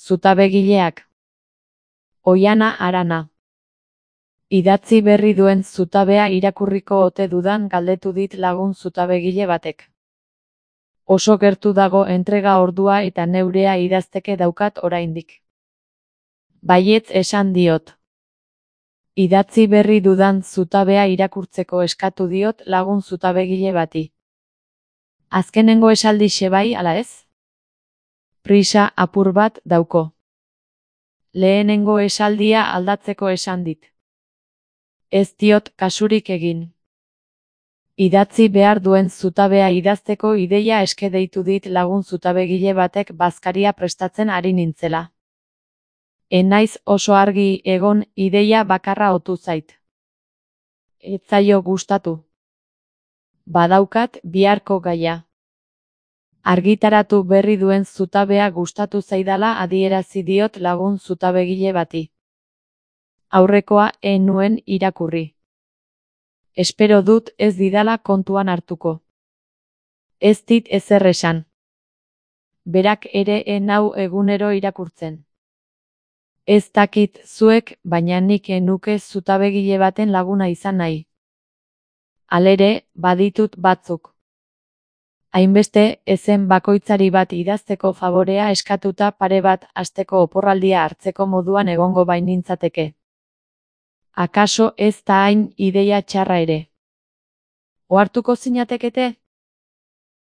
Zutabegileak. Oihana Arana. Idatzi berri duen zutabea irakurriko ote dudan galdetu dit lagun zutabegile batek. Oso gertu dago entrega ordua eta neurea idazteke daukat oraindik. Baietz esan diot. Idatzi berri dudan zutabea irakurtzeko eskatu diot lagun zutabegile bati. Azkenengo esaldixe bai ala ez? Prisa apur bat dauko. Lehenengo esaldia aldatzeko esan dit. Ez diot kasurik egin. Idatzi behar duen zutabea idazteko ideia eske deitu dit lagun zutabegile batek bazkaria prestatzen ari nintzela. Naiz oso argi egon ideia bakarra otu zait. Ez zaio gustatu. Badaukat biharko gaia. Argitaratu berri duen zutabea gustatu zaidala adierazi diot lagun zutabegile bati. Aurrekoa ez nuen irakurri. Espero dut ez didala kontuan hartuko. Ez dit ezer esan. Berak ere ez nau egunero irakurtzen. Ez dakit zuek, baina nik ez nuke zutabegile baten laguna izan nahi. Halere, baditut batzuk. Hainbeste, ezen bakoitzari bat idazteko favorea eskatuta pare bat asteko oporraldia hartzeko moduan egongo bainintzateke. Akaso ez da hain ideia txarra ere. Ohartuko zinatekete?